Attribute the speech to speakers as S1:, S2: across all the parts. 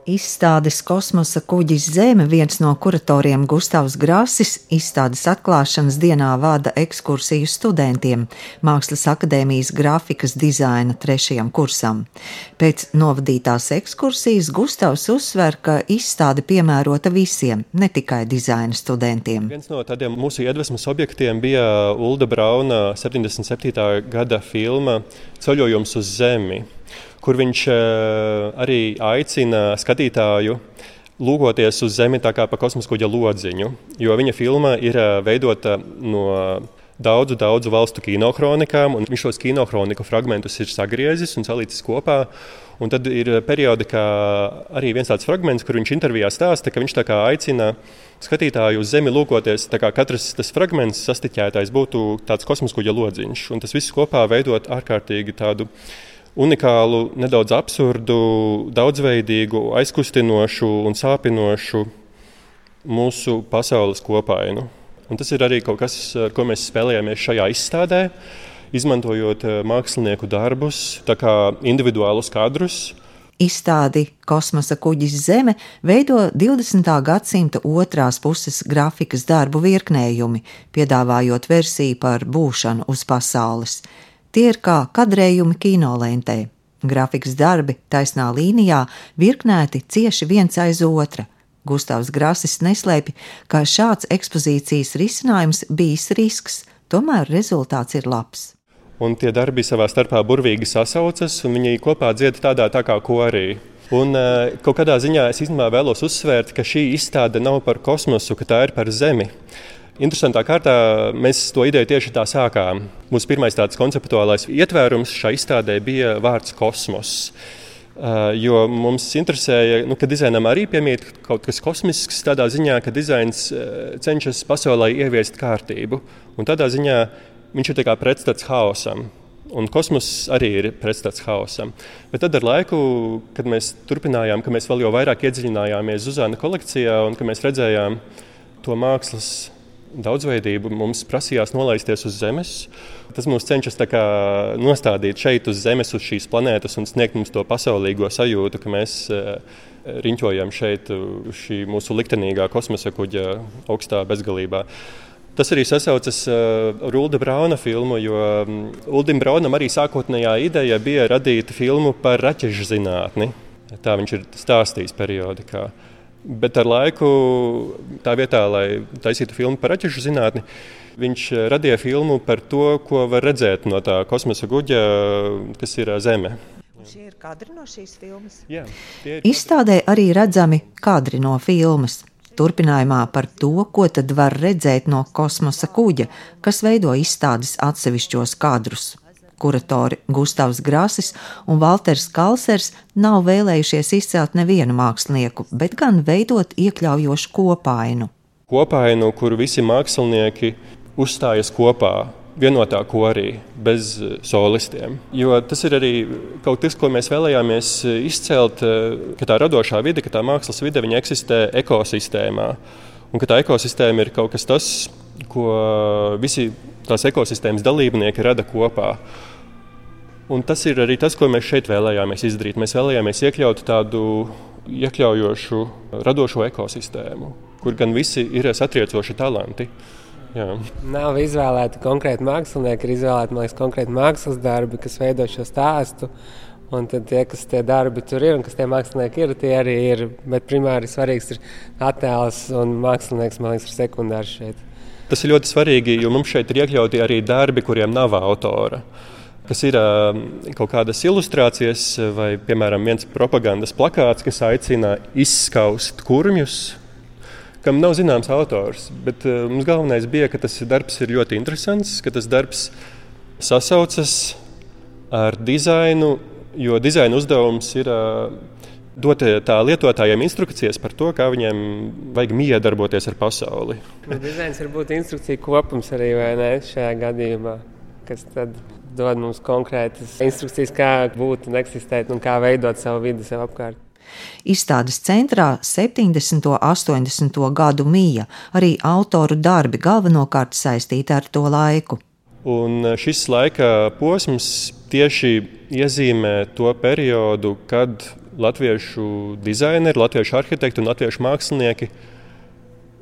S1: Izstādes Kosmosa kuģis Zeme viens no kuratoriem Gustavs Grasis izstādes atklāšanas dienā vada ekskursiju studentiem Mākslas akadēmijas grafikas dizaina 3. kursam. Pēc novadītās ekskursijas Gustavs uzsver, ka izstāde piemērota visiem, ne tikai dizaina studentiem.
S2: Viens no tādiem mūsu iedvesmas objektiem bija Ulda Brauna 77. gada filma Ceļojums uz Zemi, kur viņš arī aicina skatītāju lūgoties uz Zemi tā kā pa kosmosa kuģa lodziņu, jo viņa filma ir veidota no daudzu valstu kinohronikām, un viņš šos kinohroniku fragmentus ir sagriezis un salīdzis kopā. Un tad ir periodikā arī viens tāds fragments, kur viņš intervijā stāsta, ka viņš tā kā aicina skatītāju uz Zemi lūkoties, tā kā katrs tas fragments sastiķētais būtu tāds kosmosa kuģa lodziņš, un tas viss kopā veidot ārkārtīgi tādu unikālu, nedaudz absurdu, daudzveidīgu, aizkustinošu un sāpinošu mūsu pasaules kopainu. Un tas ir arī kaut kas, ar ko mēs spēlējāmies šajā izstādē, izmantojot mākslinieku darbus, tā kā individuālus kadrus.
S1: Izstādi Kosmosa kuģis Zeme veido 20. gadsimta otrās puses grafikas darbu virknējumi, piedāvājot versiju par būšanu uz pasaules. Tie ir kā kadrējumi kinolentē. Grafikas darbi taisnā līnijā virknēti cieši viens aiz otra. Gustavs Grasis neslēpj, ka šāds ekspozīcijas risinājums bijis risks, tomēr rezultāts ir labs.
S2: Un tie darbi savā starpā burvīgi sasaucas, un viņi kopā dzied tādā tā kā korī. Un kaut kādā ziņā es īstenībā vēlos uzsvērt, ka šī izstāde nav par kosmosu, ka tā ir par Zemi. Interesantā kārtā mēs to ideju tieši tā sākām. Mūsu pirmais tāds konceptuālais ietvērums šai izstādē bija vārds kosmos. Jo mums interesēja, ka dizainam arī piemīt kaut kas kosmisks, tādā ziņā, ka dizains cenšas pasaulē ieviest kārtību. Un tādā ziņā viņš ir tā kā pretstats haosam. Un kosmos arī ir pretstats haosam. Bet tad ar laiku, kad mēs turpinājām, ka mēs vēl jau vairāk iedziļinājāmies Zuzana kolekcijā un ka mēs redzējām to mākslas daudzveidību, mums prasījās nolaisties uz Zemes. Tas mums cenšas tā kā nostādīt šeit uz Zemes, uz šīs planētas un sniegt mums to pasaulīgo sajūtu, ka mēs riņķojam šeit šī mūsu liktenīgā kosmosa kuģa augstā bezgalībā. Tas arī sasaucas ar Ulda Brauna filmu, jo Uldim Braunam arī sākotnējā ideja bija radīt filmu par raķešu zinātni. Tā viņš ir stāstījis periodikā. Bet ar laiku, tā vietā, lai taisītu filmu par raķešu zinātni, viņš radīja filmu par to, ko var redzēt no tā kosmosa kuģa, kas ir Zeme.
S1: Šie ir kadri no šīs filmas?
S2: Jā, tie ir.
S1: Izstādē arī redzami kadri no filmas. Turpinājumā par to, ko tad var redzēt no kosmosa kuģa, kas veido izstādes atsevišķos kadrus. Kuratori Gustavs Grasis un Valters Kalsers nav vēlējušies izcelt nevienu mākslinieku, bet gan veidot iekļaujošu kopainu.
S2: Kopainu, kur visi mākslinieki uzstājas kopā, vienotā korī, bez solistiem. Jo tas ir arī kaut kas, ko mēs vēlējāmies izcelt, ka tā radošā vide, ka tā mākslas vide, viņa eksistē ekosistēmā. Un ka tā ekosistēma ir kaut kas tas, ko visi tās ekosistēmas dalībnieki rada kopā. Un tas ir arī tas, ko mēs šeit vēlējāmies izdarīt. Mēs vēlējāmies iekļaut tādu iekļaujošu, radošo ekosistēmu, kur gan visi ir satriecoši talanti. Jā.
S3: Nav izvēlēti konkrēti mākslinieki, ir izvēlēti, man liekas, konkrēti mākslas darbi, kas veido šo stāstu. Un tad tie, kas tie darbi tur ir un kas tie mākslinieki ir, tie arī ir. Bet primāri svarīgs ir attēls un mākslinieks, man liekas, ir sekundārs šeit.
S2: Tas ir ļoti svarīgi, jo mums šeit ir iekļauti arī darbi, kuriem nav autora. Kas ir kaut kādas ilustrācijas vai, piemēram, viens propagandas plakāts, kas aicina izskaust kurmjus, kam nav zināms autors. Bet mums galvenais bija, ka tas darbs ir ļoti interesants, ka tas darbs sasaucas ar dizainu, jo dizaina uzdevums ir dot tā lietotājiem instrukcijas par to, kā viņiem vajag miedarboties ar pasauli.
S3: Dizains var būt instrukcija kopums arī, vai ne, šajā gadījumā, kas tad dod mums konkrētas instrukcijas, kā būt un eksistēt un kā veidot savu vidi sev apkārt.
S1: Izstādes centrā 70. un 80. gadu mija, arī autoru darbi galvenokārt saistīti ar to laiku.
S2: Un šis laika posms tieši iezīmē to periodu, kad latviešu dizaineri, latviešu arhitekti un latviešu mākslinieki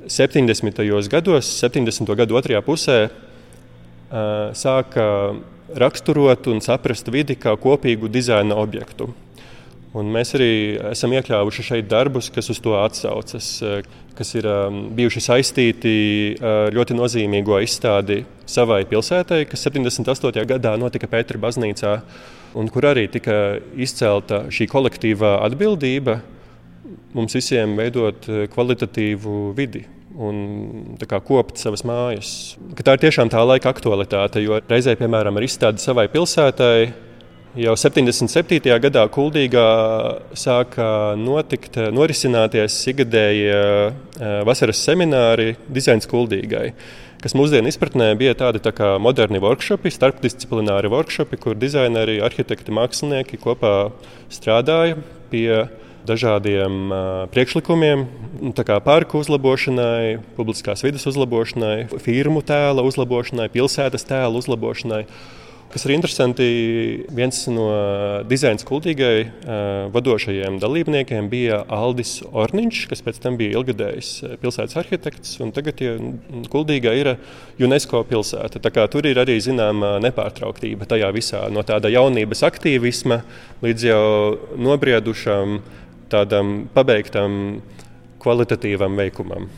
S2: 70. gados, 70. gadu otrajā pusē sāka raksturot un saprast vidi kā kopīgu dizaina objektu. Un mēs arī esam iekļāvuši šeit darbus, kas uz to atsaucas, kas ir bijuši saistīti ar ļoti nozīmīgo izstādi Savai pilsētai, kas 78. gadā notika Pētera baznīcā, un kur arī tika izcelta šī kolektīvā atbildība mums visiem veidot kvalitatīvu vidi un tā kā kopt savas mājas. Tā ir tiešām tā laika aktualitāte, jo reizē, piemēram, ar izstādi Savai pilsētai, jau 77. gadā Kuldīgā sāka norisināties ikgadējie vasaras semināri Dizains Kuldīgai, kas mūsdienu izpratnē bija tādi tā kā moderni workshopi, starpdisciplināri workshopi, kur dizaineri, arhitekti, mākslinieki kopā strādāja pie dažādiem priekšlikumiem, tā kā parku uzlabošanai, publiskās vides uzlabošanai, firmu tēla uzlabošanai, pilsētas tēla uzlabošanai. Kas ir interesanti, viens no Dizains Kuldīgai vadošajiem dalībniekiem bija Aldis Orniņš, kas pēc tam bija ilgadējis pilsētas arhitekts, un tagad Kuldīga ir UNESCO pilsēta. Tā kā tur ir arī zināma nepārtrauktība tajā visā, no tāda jaunības aktīvisma līdz jau nobriedušam, tādam pabeigtam kvalitatīvam veikumam.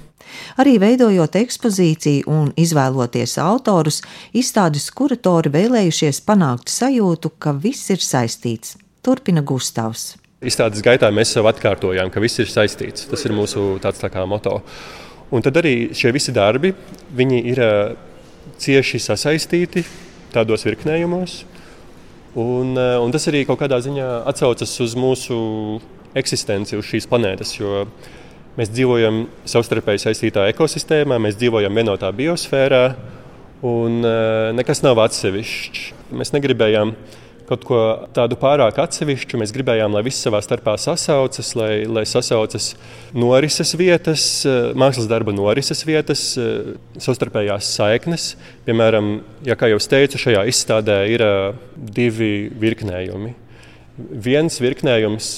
S1: Arī veidojot ekspozīciju un izvēloties autorus, izstādes kuratori vēlējušies panākt sajūtu, ka viss ir saistīts. Turpina Gustavs.
S2: Izstādes gaitā mēs sev atkārtojām, ka viss ir saistīts. Tas ir mūsu tāds tā kā moto. Un tad arī šie visi darbi, viņi ir cieši sasaistīti tādos virknējumos. Un tas arī kaut kādā ziņā atsaucas uz mūsu eksistenci uz šīs planētas, jo mēs dzīvojam savstarpēji saistītā ekosistēmā, mēs dzīvojam vienotā biosfērā un nekas nav atsevišķs. Mēs negribējām kaut ko tādu pārāk atsevišķu, mēs gribējām, lai viss savā starpā sasaucas, lai sasaucas norises vietas, mākslas darba norises vietas, savstarpējās saiknes. Piemēram, kā jau es teicu, šajā izstādē ir 2 virknējumi. Viens virknējums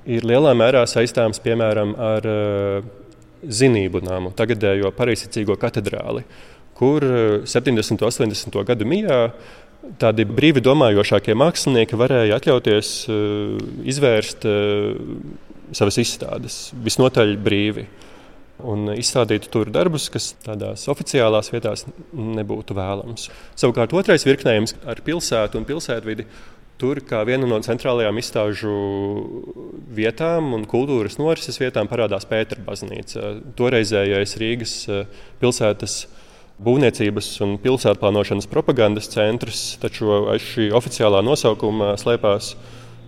S2: ir lielā mērā saistāms, piemēram, ar Zinību namu, tagadējo pareizticīgo katedrāli, kur 70. un 80. gadu mijā tādi brīvi domājošākie mākslinieki varēja atļauties izvērst savas izstādes visnotaļ brīvi un izstādīt tur darbus, kas tādās oficiālās vietās nebūtu vēlams. Savukārt otrais virknējums ar pilsētu un pilsētvidi. Tur, kā viena no centrālajām izstāžu vietām un kultūras norises vietām, parādās Pētera baznīca. Toreizējais Rīgas pilsētas būvniecības un pilsētplānošanas propagandas centrs, taču aiz šī oficiālā nosaukuma slēpās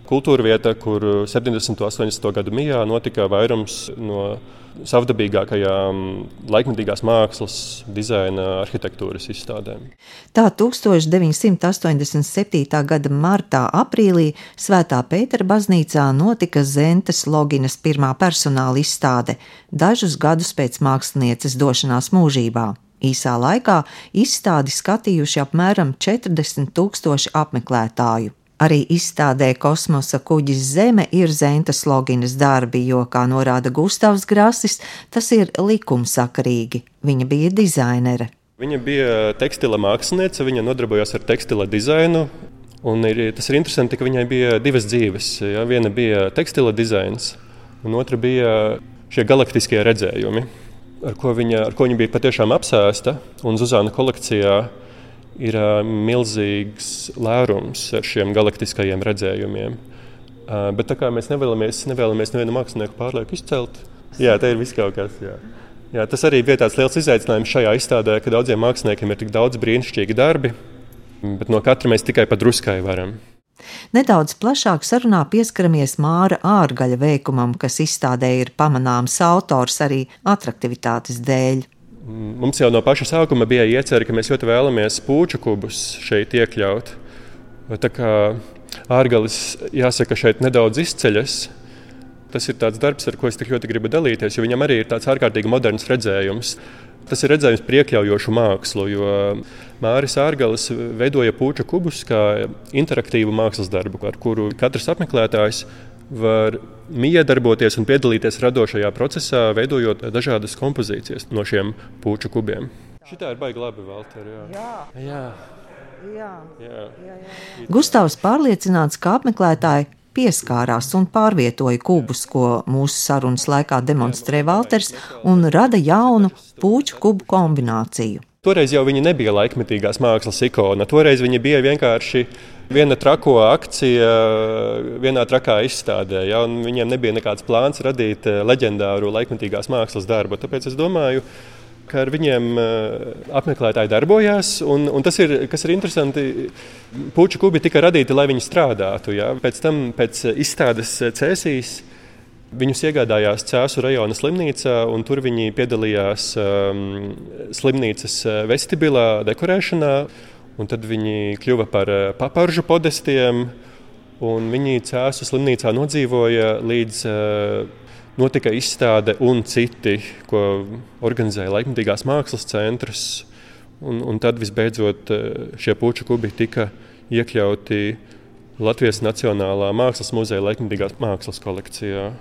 S2: kultūra vieta, kur 70. un 80. gadu mijā notika vairums no savdabīgākajām laikmetīgās mākslas, dizaina, arhitektūras izstādēm.
S1: Tā 1987. gada martā, aprīlī Svētā Pētera baznīcā notika Zentes Loginas pirmā personāla izstāde, dažus gadus pēc mākslinieces došanās mūžībā. Īsā laikā izstādi skatījuši apmēram 40,000 apmeklētāju. Arī izstādē Kosmosa kuģis Zeme ir Zentas Loginas darbi, jo, kā norāda Gustavs Grasis, tas ir likumsakarīgi. Viņa bija dizainere.
S2: Viņa bija tekstila māksliniece, viņa nodarbojās ar tekstila dizainu. Un tas ir interesanti, ka viņai bija 2 dzīves. Ja? Viena bija tekstila dizains, un otra bija šie galaktiskie redzējumi, ar ko viņa bija patiešām apsēsta. Un Zuzana kolekcijā ir milzīgs lērums ar šiem galaktiskajiem redzējumiem. Bet tā kā mēs nevēlamies nevienu mākslinieku pārlieku izcelt, te ir viss kaut kas. Jā, tas arī bija tāds liels izaicinājums šajā izstādē, ka daudziem māksliniekiem ir tik daudz brīnišķīgi darbi, bet no katra mēs tikai pa druskai varam.
S1: Nedaudz plašāk sarunā pieskaramies Māra Ārgaļa veikumam, kas izstādē ir pamanāms autors arī atraktivitātes dēļ.
S2: Mums jau no paša sākuma bija iecerē, ka mēs ļoti vēlamies puču kubus šeit iekļaut. Tā kā Ārgalis, jāsaka, šeit nedaudz izceļas. Tas ir tāds darbs, ar ko es tik ļoti gribu dalīties, jo viņam arī ir tāds ārkārtīgi moderns redzējums. Tas ir redzējums par iekļaujošu mākslu, jo Māris Ārgalis veidoja puču kubus kā interaktīvu mākslas darbu, ar kuru katrs apmeklētājs var miedarboties un piedalīties radošajā procesā, veidojot dažādas kompozīcijas no šiem puču kubiem. Šitā ir baigi labi, Valter. Jā.
S1: Gustavs pārliecināts, ka apmeklētāji pieskārās un pārvietoja kubus, ko mūsu sarunas laikā demonstrē Valters, un rada jaunu puču kubu kombināciju.
S2: Toreiz jau viņi nebija laikmetīgās mākslas ikona. Toreiz viņi bija vienkārši viena trako akcija, vienā trakā izstādē. Ja, viņiem nebija nekāds plāns radīt leģendāru laikmetīgās mākslas darbu. Tāpēc es domāju, ka ar viņiem apmeklētāji darbojās. Un tas ir, kas ir interesanti, puču kubi tika radīti, lai viņi strādātu. Ja. Pēc tam, pēc izstādes Cēsīs, viņus iegādājās Cēsu rajona slimnīcā, un tur viņi piedalījās slimnīcas vestibilā dekorēšanā. Un tad viņi kļuva par paparžu podestiem, un viņi Cēsu slimnīcā nodzīvoja līdz notika izstāde un citi, ko organizēja laikmetīgās mākslas centrs. Un tad visbeidzot šie puču kubi tika iekļauti Latvijas Nacionālā mākslas muzeja laikmetīgās mākslas kolekcijā.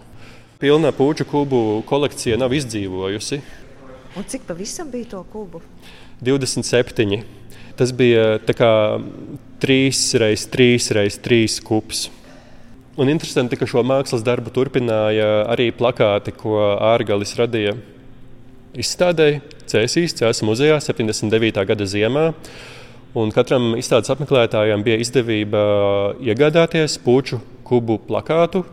S2: Pilnā puču kubu kolekcija nav izdzīvojusi.
S1: Un cik pavisam bija to kubu?
S2: 27. Tas bija tā kā 3x3x3 kubs. Un interesanti, ka šo mākslas darbu turpināja arī plakāti, ko Ārgalis radīja izstādei Cēsīs, Cēsu muzejā 79. gada ziemā. Un katram izstādes apmeklētājam bija izdevība iegādāties puču kubu plakātu,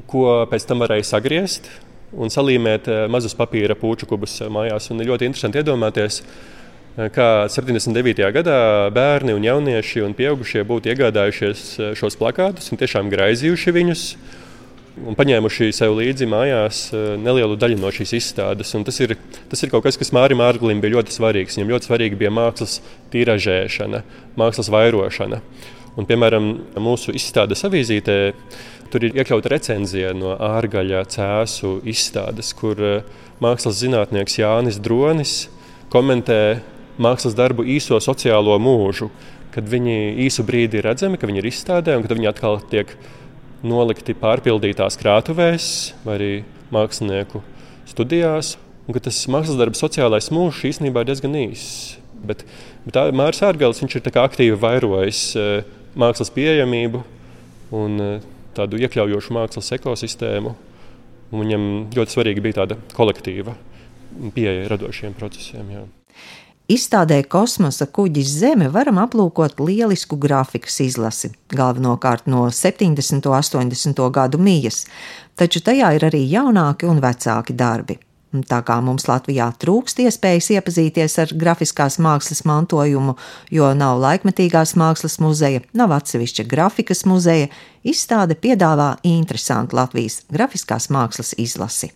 S2: ko pēc tam varēja sagriezt un salīmēt mazus papīra puču kubus mājās. Un ir ļoti interesanti iedomāties, kā 79. gadā bērni un jaunieši un pieaugušie būtu iegādājušies šos plakātus un tiešām graizījuši viņus un paņēmuši sev līdzi mājās nelielu daļu no šīs izstādes. Un tas ir kaut kas, kas Mārim Ārgalim bija ļoti svarīgs. Viņam ļoti svarīgi bija mākslas tiražēšana, mākslas vairošana. Un, piemēram, mūsu izstādes avīzītē tur ir iekļauta recenzija no Ārgaļa Cēsu izstādes, kur mākslas zinātnieks Jānis Dronis komentē mākslas darbu īso sociālo mūžu, kad viņi īsu brīdi ir redzami, ka viņi ir izstādē un kad viņi atkal tiek nolikti pārpildītās krātuvēs vai arī mākslinieku studijās. Un ka tas mākslas darba sociālais mūžs īstenībā ir diezgan īss. Bet Māris Ārgalis, viņš ir tā kā aktīvi vairojis mākslas pieejamību un tādu iekļaujošu mākslas ekosistēmu. Un viņam ļoti svarīgi bija tāda kolektīva pieeja radošiem procesiem. Jā.
S1: Izstādē Kosmosa kuģis Zeme varam aplūkot lielisku grafikas izlasi, galvenokārt no 70. un 80. gadu mijas, taču tajā ir arī jaunāki un vecāki darbi. Tā kā mums Latvijā trūkst iespējas iepazīties ar grafiskās mākslas mantojumu, jo nav laikmetīgās mākslas muzeja, nav atsevišķa grafikas muzeja, izstāde piedāvā interesantu Latvijas grafiskās mākslas izlasi.